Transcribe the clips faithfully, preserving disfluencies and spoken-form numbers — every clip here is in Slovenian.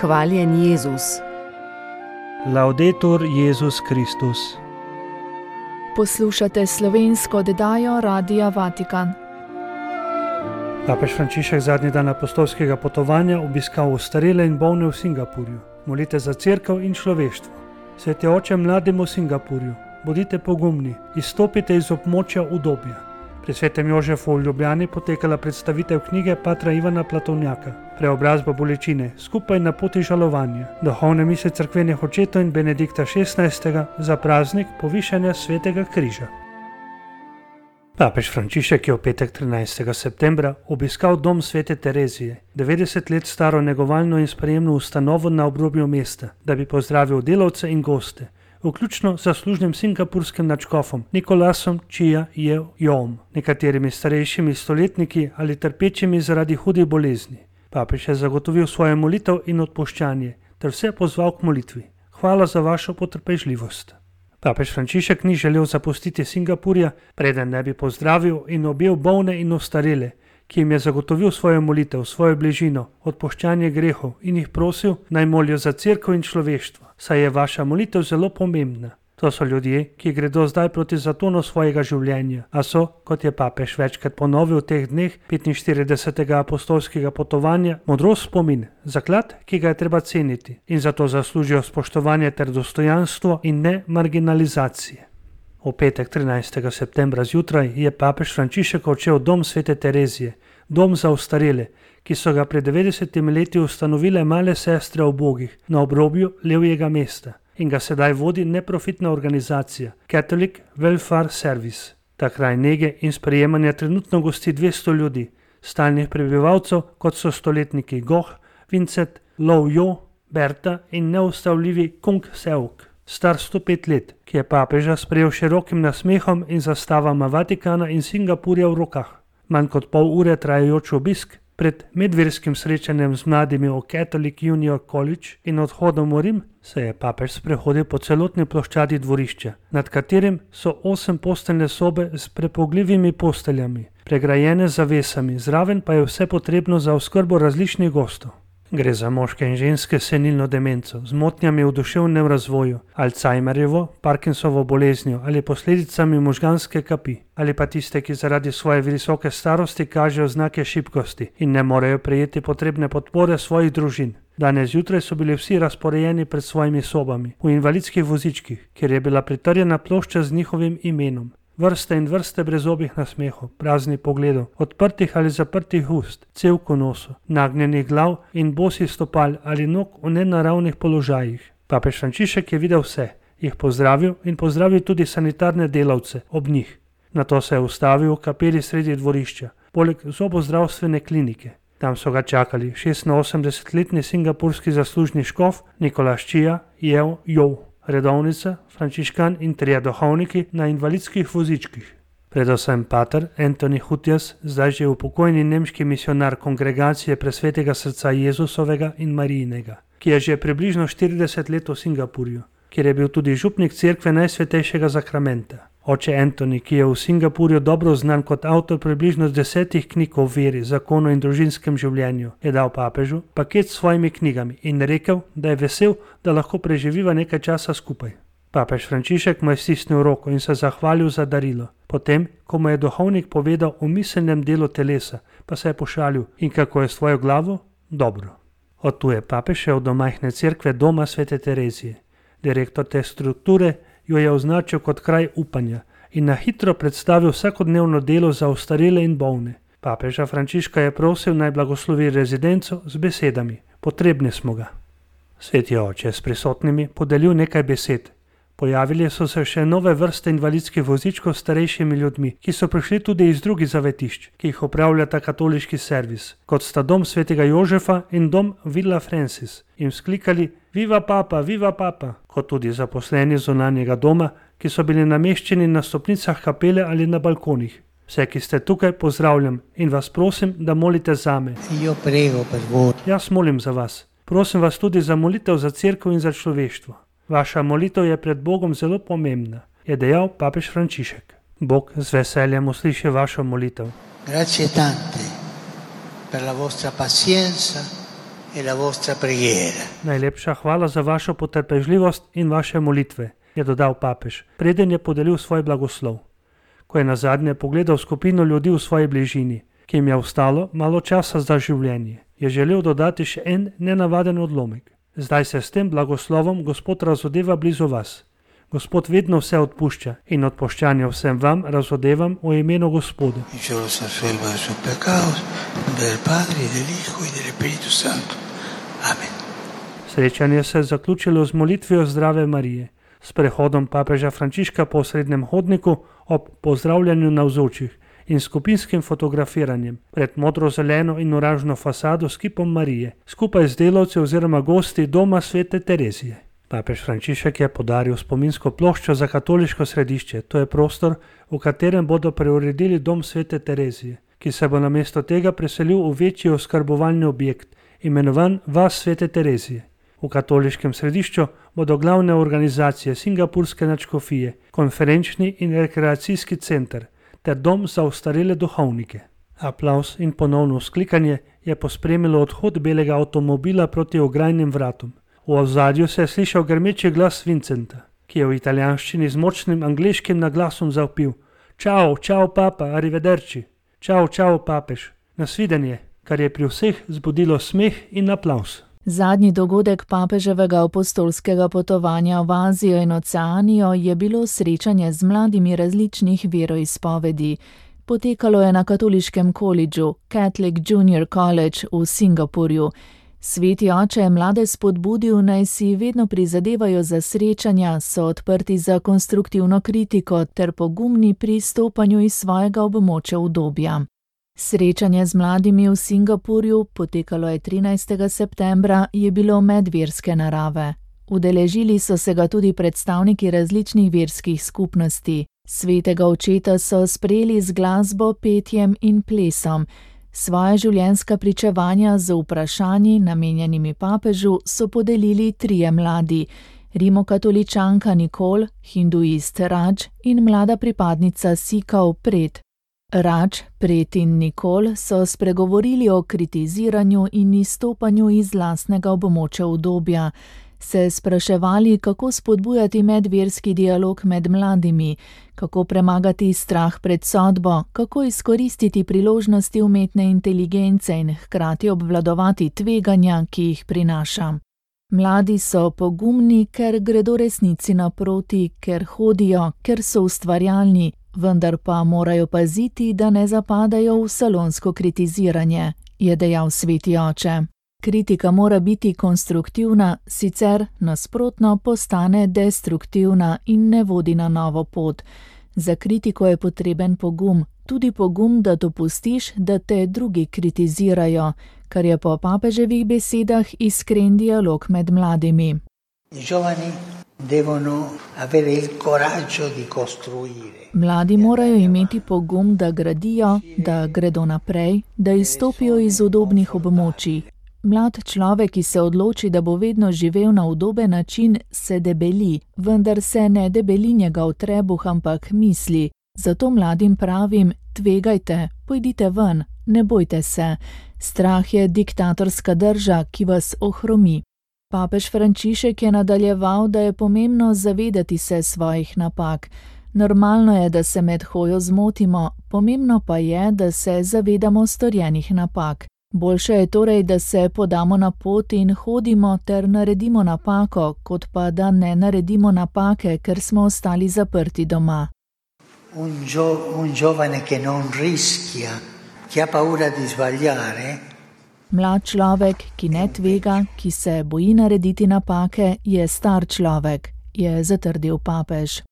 Hvaljen Jezus. Laudetur Jezus Kristus. Poslušate slovensko oddajo Radia Vatikan. Papež Frančišek zadnji dan apostolskega potovanja obiskal ostarele in bolne v Singapurju. Molite za cerkev in človeštvo. Sveti oče mladim v Singapurju, bodite pogumni, izstopite iz območja udobja. Pri svetem Jožefu v Ljubljani potekala predstavitev knjige patra Ivana Platovnjaka, Preobrazba bolečine, skupaj na poti žalovanja, duhovne mise cerkvenih očetov in Benedikta šestnajstega za praznik povišanja svetega križa. Papež Frančišek je v petek trinajstega septembra obiskal dom svete Terezije, devetdeset let staro negovalno in sprejemno ustanovo na obrobju mesta, da bi pozdravil delavce in goste, vključno z zaslužnim singapurskim nadškofom Nikolasom Chia Yeom, nekaterimi starejšimi stoletniki ali trpečimi zaradi hudih bolezni. Papež je zagotovil svojo molitev in odpuščanje ter vse pozval k molitvi. Hvala za vašo potrpežljivost. Papež Frančišek ni želel zapustiti Singapurja, preden ne bi pozdravil in objel bolne in ostarele, ki jim je zagotovil svojo molitev, svojo bližino, odpuščanje grehov in jih prosil, naj molijo za cerkev in človeštvo, saj je vaša molitev zelo pomembna. To so ljudje, ki gredo zdaj proti zatonu svojega življenja, a so, kot je papež večkrat ponovil v teh dneh petinštiridesetega apostolskega potovanja, modrost spomin, zaklad, ki ga je treba ceniti in zato zaslužijo spoštovanje ter dostojanstvo in ne marginalizacije. V petek trinajstega septembra zjutraj je papež Frančišek odšel v dom svete Terezije, dom za ostarele, ki so ga pred devetdesetimi leti ustanovile male sestre ubogih na obrobju levjega mesta in ga sedaj vodi neprofitna organizacija Catholic Welfare Service. Ta kraj nege in sprejemanja trenutno gosti dvesto ljudi, stalnih prebivalcev, kot so stoletniki Goh, Vincent, Lau Jo, Berta in neustavljivi Kung Seok, star sto pet let, ki je papeža sprejel širokim nasmehom in zastavama Vatikana in Singapurja v rokah. Manj kot pol ure trajajoč obisk pred medverskim srečanjem z mladimi v Catholic Junior College in odhodom v Rim se je papež sprehodil po celotni ploščadi dvorišča, nad katerim so osem posteljne sobe s prepogljivimi posteljami, pregrajene z zavesami, zraven pa je vse potrebno za oskrbo različnih gostov. Gre za moške in ženske s senilno demenco, z motnjami v duševnem razvoju, Alzheimerjevo, Parkinsovo boleznijo ali posledicami možganske kapi, ali pa tiste, ki zaradi svoje visoke starosti kažejo znake šibkosti in ne morejo prejeti potrebne podpore svojih družin. Danes zjutraj so bili vsi razporejeni pred svojimi sobami, v invalidskih vozičkih, kjer je bila pritrjena plošča z njihovim imenom. Vrste in vrste brezobih nasmehov, praznih pogledov, odprtih ali zaprtih ust, cevk v nosu, nagnjenih glav in bosih stopal ali nog v nenaravnih položajih. Papež Frančišek je videl vse, jih pozdravil in pozdravil tudi sanitarne delavce ob njih. Nato se je ustavil v kapeli sredi dvorišča, poleg zobozdravstvene klinike. Tam so ga čakali šestinosemdesetletni singapurski zaslužni škof Nikolas Chia Yeom, redovnica, frančiškan in trije duhovniki na invalidskih vozičkih. Predvsem pater Anthony Hutjas, zdaj že upokojeni nemški misionar kongregacije Presvetega srca Jezusovega in Marijinega, ki je že približno štirideset let v Singapurju, kjer je bil tudi župnik cerkve Najsvetejšega zakramenta. Oče Anthony, ki je v Singapurju dobro znan kot avtor približno desetih knjig o veri, zakonu in družinskem življenju, je dal papežu paket s svojimi knjigami in rekel, da je vesel, da lahko preživiva nekaj časa skupaj. Papež Frančišek mu je stisnil roko in se zahvalil za darilo. Potem, ko mu je duhovnik povedal o miselnem delu telesa, pa se je pošalil: in kako je s tvojo glavo? Dobro. Od tu je papež šel do majhne cerkve doma svete Terezije. Direktor te strukture jo je označil kot kraj upanja in na hitro predstavil vsakodnevno delo za ostarele in bolne. Papeža Frančiška je prosil, naj blagoslovi rezidenco z besedami: potrebni smo ga. Sveti oče je s prisotnimi podelil nekaj besed. Pojavili so se še nove vrste invalidskih vozičkov s starejšimi ljudmi, ki so prišli tudi iz drugih zavetišč, ki jih upravljata katoliški servis, kot sta dom svetega Jožefa in dom Villa Francis, in vzklikali: Viva papa, viva papa, kot tudi zaposleni zunanjega doma, ki so bili nameščeni na stopnicah kapele ali na balkonih. Vse, ki ste tukaj, pozdravljam in vas prosim, da molite zame. Jaz molim za vas. Prosim vas tudi za molitev za cerkev in za človeštvo. Vaša molitev je pred Bogom zelo pomembna, je dejal papež Frančišek. Bog z veseljem usliši vašo molitev. Grazie tante per la vostra pazienza e la vostra preghiera. Najlepša hvala za vašo potrpežljivost in vaše molitve, je dodal papež, preden je podelil svoj blagoslov. Ko je nazadnje pogledal skupino ljudi v svoji bližini, ki jim je ostalo malo časa za življenje, je želel dodati še en nenavaden odlomek. Zdaj se s tem blagoslovom Gospod razodeva blizu vas. Gospod vedno vse odpušča in odpuščanje vsem vam razodevam v imenu Gospoda. Srečanje se je zaključilo z molitvijo Zdrave Marije, s prehodom papeža Frančiška po osrednjem hodniku ob pozdravljanju navzočih in skupinskim fotografiranjem pred modro-zeleno in oranžno fasado s kipom Marije, skupaj z delavci oziroma gosti doma svete Terezije. Papež Frančišek je podaril spominsko ploščo za katoliško središče, to je prostor, v katerem bodo preuredili dom svete Terezije, ki se bo namesto tega preselil v večji oskrbovalni objekt, imenovan Vas svete Terezije. V katoliškem središču bodo glavne organizacije Singapurske nadškofije, konferenčni in rekreacijski center ter dom za ostarele duhovnike. Aplavz in ponovno vzklikanje je pospremilo odhod belega avtomobila proti ograjnim vratom. V ozadju se je slišal grmeči glas Vincenta, ki je v italijanščini z močnim angleškim naglasom zavpil: Čau, čau papa, arrivederci. Čau, čau papež. Nasvidenje, kar je pri vseh zbudilo smeh in aplavz. Zadnji dogodek papeževega apostolskega potovanja v Azijo in Oceanijo je bilo srečanje z mladimi različnih veroizpovedi. Potekalo je na katoliškem kolidžu Catholic Junior College v Singapurju. Sveti oče je mlade spodbudil, naj si vedno prizadevajo za srečanja, so odprti za konstruktivno kritiko ter pogumni pri stopanju iz svojega območja udobja. Srečanje z mladimi v Singapurju, potekalo je trinajstega septembra, je bilo medverske narave. Udeležili so se ga tudi predstavniki različnih verskih skupnosti. Svetega očeta so sprejeli z glasbo, petjem in plesom. Svoja življenjska pričevanja z vprašanji, namenjenimi papežu, so podelili trije mladi: rimokatoličanka Nicole, hinduist Raj in mlada pripadnica Sikov Pred. Raj, Pred in Nicole so spregovorili o kritiziranju in izstopanju iz lastnega območja udobja, se spraševali, kako spodbujati medverski dialog med mladimi, kako premagati strah pred sodbo, kako izkoristiti priložnosti umetne inteligence in hkrati obvladovati tveganja, ki jih prinaša. Mladi so pogumni, ker gredo resnici naproti, ker hodijo, ker so ustvarjalni, vendar pa morajo paziti, da ne zapadajo v salonsko kritiziranje, je dejal sveti oče. Kritika mora biti konstruktivna, sicer nasprotno postane destruktivna in ne vodi na novo pot. Za kritiko je potreben pogum, tudi pogum, da dopustiš, da te drugi kritizirajo, kar je po papeževih besedah iskren dialog med mladimi. Mladi morajo imeti pogum, da gradijo, da gredo naprej, da izstopijo iz udobnih območij. Mlad človek, ki se odloči, da bo vedno živel na udoben način, se debeli, vendar se ne debeli njegov trebuh, ampak misli. Zato mladim pravim, tvegajte, pojdite ven, ne bojte se. Strah je diktatorska drža, ki vas ohromi. Papež Frančišek je nadaljeval, da je pomembno zavedati se svojih napak. Normalno je, da se med hojo zmotimo, pomembno pa je, da se zavedamo storjenih napak. Boljše je torej, da se podamo na pot in hodimo ter naredimo napako, kot pa da ne naredimo napake, ker smo ostali zaprti doma. Un, gio, un giovane che non rischia, che ha paura di sbagliare. Mlad človek, ki ne tvega, ki se boji narediti napake, je star človek, je zatrdil papež.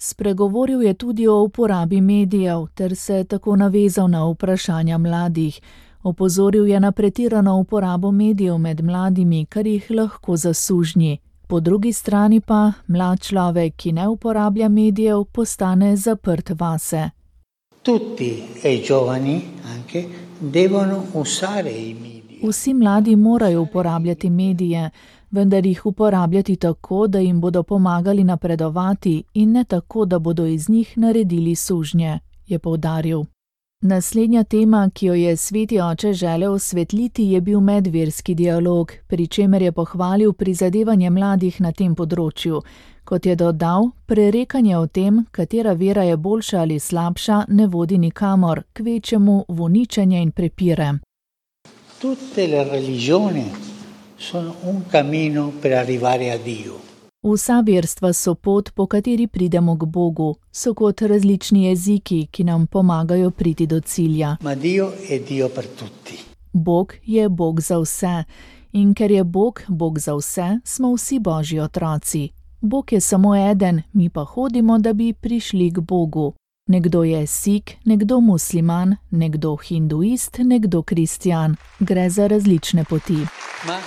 Spregovoril je tudi o uporabi medijev ter se tako navezal na vprašanja mladih. Opozoril je na pretirano uporabo medijev med mladimi, kar jih lahko zasužnji. Po drugi strani pa mlad človek, ki ne uporablja medijev, postane zaprt vase. Tutti e i giovani anche devono usare i media. Vsi mladi morajo uporabljati medije, vendar jih uporabljati tako, da jim bodo pomagali napredovati in ne tako, da bodo iz njih naredili sužnje, je poudaril. Naslednja tema, ki jo je sveti oče želel osvetliti, je bil medverski dialog, pri čemer je pohvalil prizadevanje mladih na tem področju. Kot je dodal, prerekanje o tem, katera vera je boljša ali slabša, ne vodi nikamor, kvečjemu v uničenje in prepire. Tutte le religioni sono un cammino per arrivare a Dio. Vsa verstva so pot, po kateri pridemo k Bogu, so kot različni jeziki, ki nam pomagajo priti do cilja. Ma Dio è Dio per tutti. Bog je Bog za vse. In ker je Bog Bog za vse, smo vsi Božji otroci. Bog je samo eden, mi pa hodimo, da bi prišli k Bogu. Nekdo je Sik, nekdo musliman, nekdo hinduist, nekdo kristjan. Gre za različne poti. Ma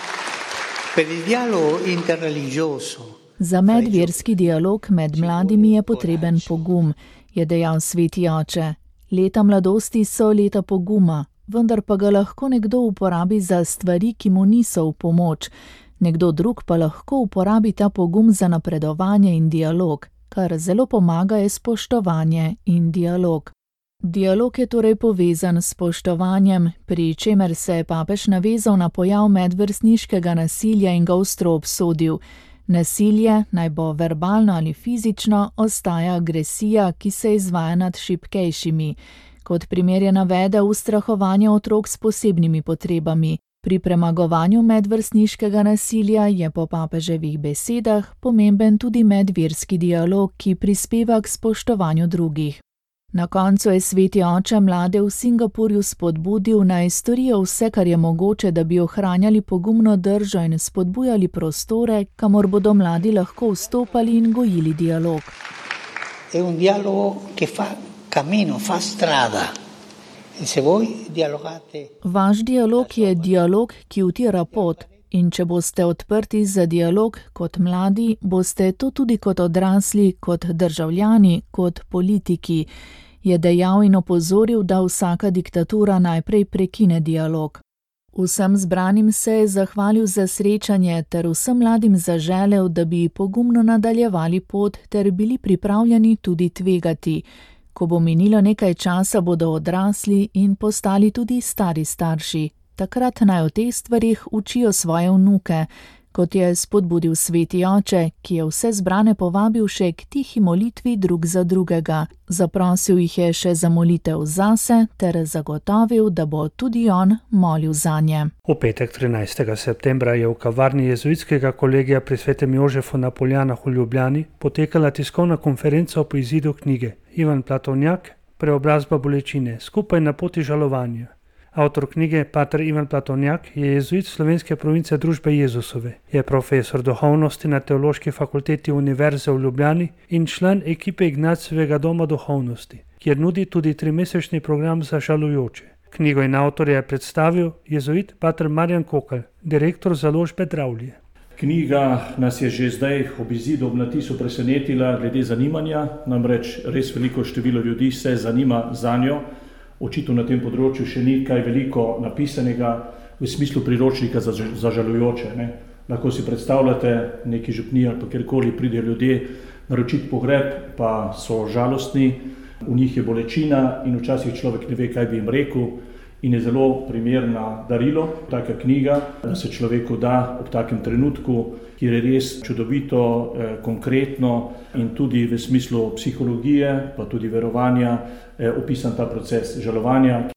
per il dialogo interreligioso. Za medverski dialog med mladimi je potreben pogum, je dejal sveti oče. Leta mladosti so leta poguma, vendar pa ga lahko nekdo uporabi za stvari, ki mu niso v pomoč. Nekdo drug pa lahko uporabi ta pogum za napredovanje in dialog, kar zelo pomaga je spoštovanje in dialog. Dialog je torej povezan s spoštovanjem, pri čemer se je papež navezal na pojav medvrstniškega nasilja in ga ostro obsodil. Nasilje, naj bo verbalno ali fizično, ostaja agresija, ki se izvaja nad šibkejšimi. Kot primer je navedel ustrahovanje otrok s posebnimi potrebami. Pri premagovanju medvrstniškega nasilja je po papeževih besedah pomemben tudi medverski dialog, ki prispeva k spoštovanju drugih. Na koncu je sveti oče mlade v Singapurju spodbudil, naj storijo vse, kar je mogoče, da bi ohranjali pogumno držo in spodbujali prostore, kamor bodo mladi lahko vstopali in gojili dialog. È un dialogo che fa cammino, fa strada. E se voi dialogate... Vaš dialog je dialog, ki utira pot. In če boste odprti za dialog kot mladi, boste to tudi kot odrasli, kot državljani, kot politiki, je dejal in opozoril, da vsaka diktatura najprej prekine dialog. Vsem zbranim se je zahvalil za srečanje ter vsem mladim zaželel, da bi pogumno nadaljevali pot ter bili pripravljeni tudi tvegati. Ko bo minilo nekaj časa, bodo odrasli in postali tudi stari starši. Takrat naj o teh stvarih učijo svoje vnuke, kot je spodbudil sveti oče, ki je vse zbrane povabil še k tihi molitvi drug za drugega. Zaprosil jih je še za molitev zase ter zagotovil, da bo tudi on molil zanje. V petek trinajstega septembra je v kavarni jezuitskega kolegija pri svetem Jožefu na Poljanah v Ljubljani potekala tiskovna konferenca po izidu knjige Ivan Platovnjak, Preobrazba bolečine, skupaj na poti žalovanja. Avtor knjige, pater Ivan Platovnjak, je jezuit slovenske province Družbe Jezusove. Je profesor duhovnosti na Teološki fakulteti Univerze v Ljubljani in član ekipe Ignacijevega doma duhovnosti, kjer nudi tudi trimesečni program za žalujoče. Knjigo in avtorja je predstavil jezuit pater Marjan Kokelj, direktor založbe Dravlje. Knjiga nas je že zdaj ob izidu ob natisu presenetila glede zanimanja, namreč res veliko število ljudi se zanima zanjo. Očitno na tem področju še ni kaj veliko napisanega v smislu priročnika za, za žalujoče. Ne? Lahko si predstavljate, neki župniji ali pa kjerkoli pridejo ljudje naročiti pogreb, pa so žalostni, v njih je bolečina in včasih človek ne ve, kaj bi jim rekel in je zelo primerna darilo, taka knjiga, da se človeku da ob takem trenutku, kjer je res čudovito, eh, konkretno in tudi v smislu psihologije, pa tudi verovanja, eh, opisan ta proces žalovanja.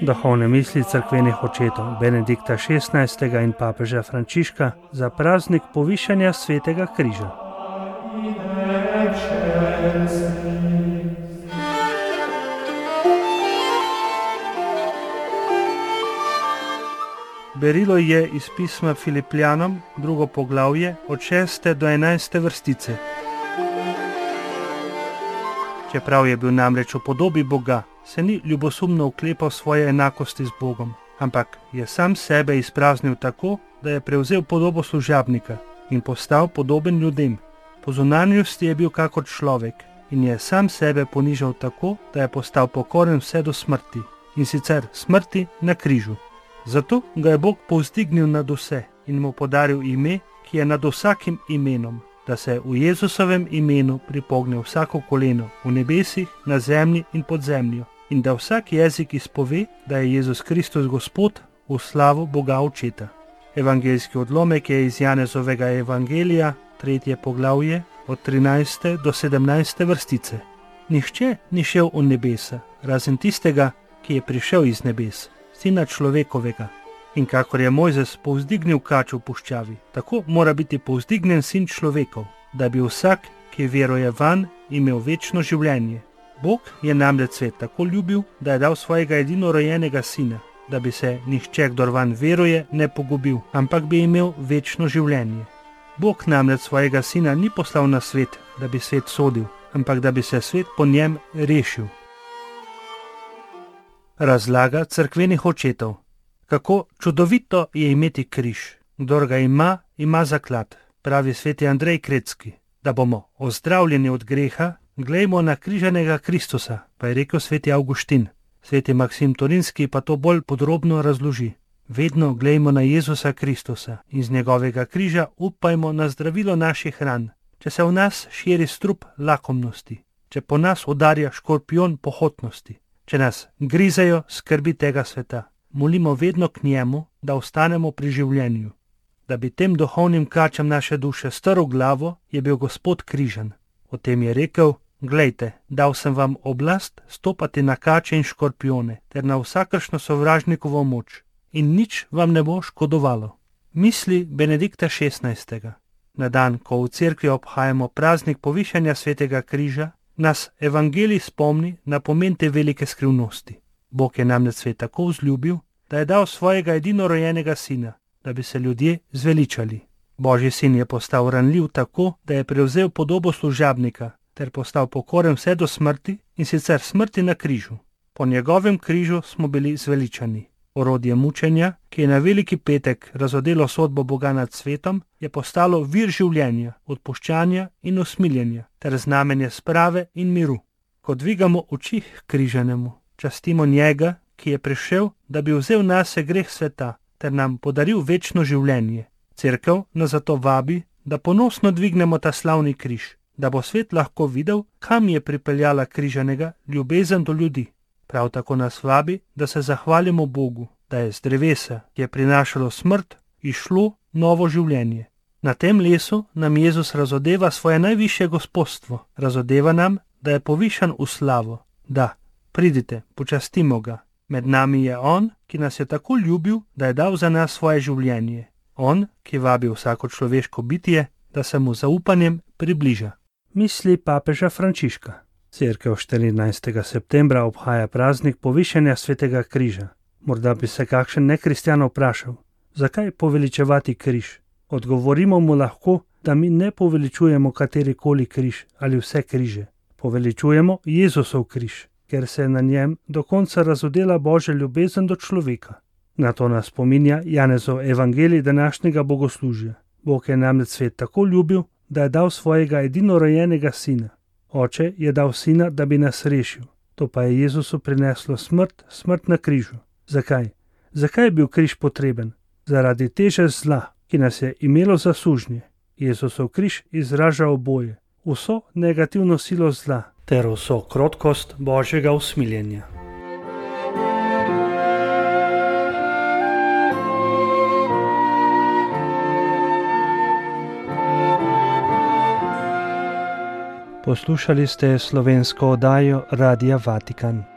Duhovne misli cerkvenih očetov Benedikta šestnajstega in papeža Frančiška za praznik povišanja svetega križa. Berilo je iz pisma Filipljanom, drugo poglavje, od šeste do enajste vrstice. Čeprav je bil namreč v podobi Boga, se ni ljubosumno oklepal svoje enakosti z Bogom, ampak je sam sebe izpraznil tako, da je prevzel podobo služabnika in postal podoben ljudem. Po zunanjosti je bil kakor človek in je sam sebe ponižal tako, da je postal pokoren vse do smrti, in sicer smrti na križu. Zato ga je Bog povzdignil nad vse in mu podaril ime, ki je nad vsakim imenom, da se v Jezusovem imenu pripogne vsako koleno v nebesih, na zemlji in pod zemljo, in da vsak jezik izpove, da je Jezus Kristus Gospod, v slavo Boga Očeta. Evangeljski odlomek je iz Janezovega evangelija, tretje poglavje, od trinajste do sedemnajste vrstice. Nihče ni šel v nebesa, razen tistega, ki je prišel iz nebes, Sina človekovega. In kakor je Mojzes povzdignil kač v puščavi, tako mora biti povzdignen Sin človekov, da bi vsak, ki veruje vanj, imel večno življenje. Bog je namreč svet tako ljubil, da je dal svojega edinorojenega Sina, da bi se nihče, kdor vanj veruje, ne pogubil, ampak bi imel večno življenje. Bog namreč svojega Sina ni poslal na svet, da bi svet sodil, ampak da bi se svet po njem rešil. Razlaga cerkvenih očetov. Kako čudovito je imeti križ. Kdor ga ima, ima zaklad, pravi sveti Andrej Kretski. Da bomo ozdravljeni od greha, glejmo na križanega Kristusa, pa je rekel sveti Avguštin. Sveti Maksim Torinski pa to bolj podrobno razloži. Vedno glejmo na Jezusa Kristusa in z njegovega križa upajmo na zdravilo naših ran. Če se v nas širi strup lakomnosti, če po nas udarja škorpion pohotnosti, če nas grizejo skrbi tega sveta, molimo vedno k njemu, da ostanemo pri življenju. Da bi tem duhovnim kačam naše duše strl glavo, je bil Gospod križan. O tem je rekel: glejte, dal sem vam oblast stopati na kače in škorpione ter na vsakršno sovražnikovo moč, in nič vam ne bo škodovalo. Misli Benedikta šestnajstega. Na dan, ko v cerkvi obhajamo praznik povišanja svetega križa, nas evangelij spomni na pomen te velike skrivnosti. Bog je namreč svet tako vzljubil, da je dal svojega edinorojenega Sina, da bi se ljudje zveličali. Božji Sin je postal ranljiv tako, da je prevzel podobo služabnika ter postal pokoren vse do smrti, in sicer smrti na križu. Po njegovem križu smo bili zveličani. Orodje mučenja, ki je na veliki petek razodelo sodbo Boga nad svetom, je postalo vir življenja, odpuščanja in usmiljenja ter znamenje sprave in miru. Ko dvigamo oči k križanemu, častimo njega, ki je prišel, da bi vzel nase greh sveta ter nam podaril večno življenje. Cerkev nas zato vabi, da ponosno dvignemo ta slavni križ, da bo svet lahko videl, kam je pripeljala križanega ljubezen do ljudi. Prav tako nas vabi, da se zahvalimo Bogu, da je z drevesa, ki je prinašalo smrt, išlo novo življenje. Na tem lesu nam Jezus razodeva svoje najvišje gospodstvo, razodeva nam, da je povišan v slavo. Da, pridite, počastimo ga. Med nami je on, ki nas je tako ljubil, da je dal za nas svoje življenje. On, ki vabi vsako človeško bitje, da se mu zaupanjem približa. Misli papeža Frančiška. Cerkev štirinajstega septembra obhaja praznik povišanja svetega križa. Morda bi se kakšen nekristjan vprašal, zakaj poveličevati križ? Odgovorimo mu lahko, da mi ne poveličujemo katerikoli križ ali vse križe. Poveličujemo Jezusov križ, ker se je na njem do konca razodela Božja ljubezen do človeka. Na to nas spominja Janezov evangelij današnjega bogoslužja. Bog je namreč svet tako ljubil, da je dal svojega edinorojenega Sina. Oče je dal Sina, da bi nas rešil. To pa je Jezusu prineslo smrt, smrt na križu. Zakaj? Zakaj je bil križ potreben? Zaradi teže zla, ki nas je imelo za sužnje. Jezusov križ izraža oboje, vso negativno silo zla ter vso krotkost Božjega usmiljenja. Poslušali ste slovensko oddajo Radia Vatikan.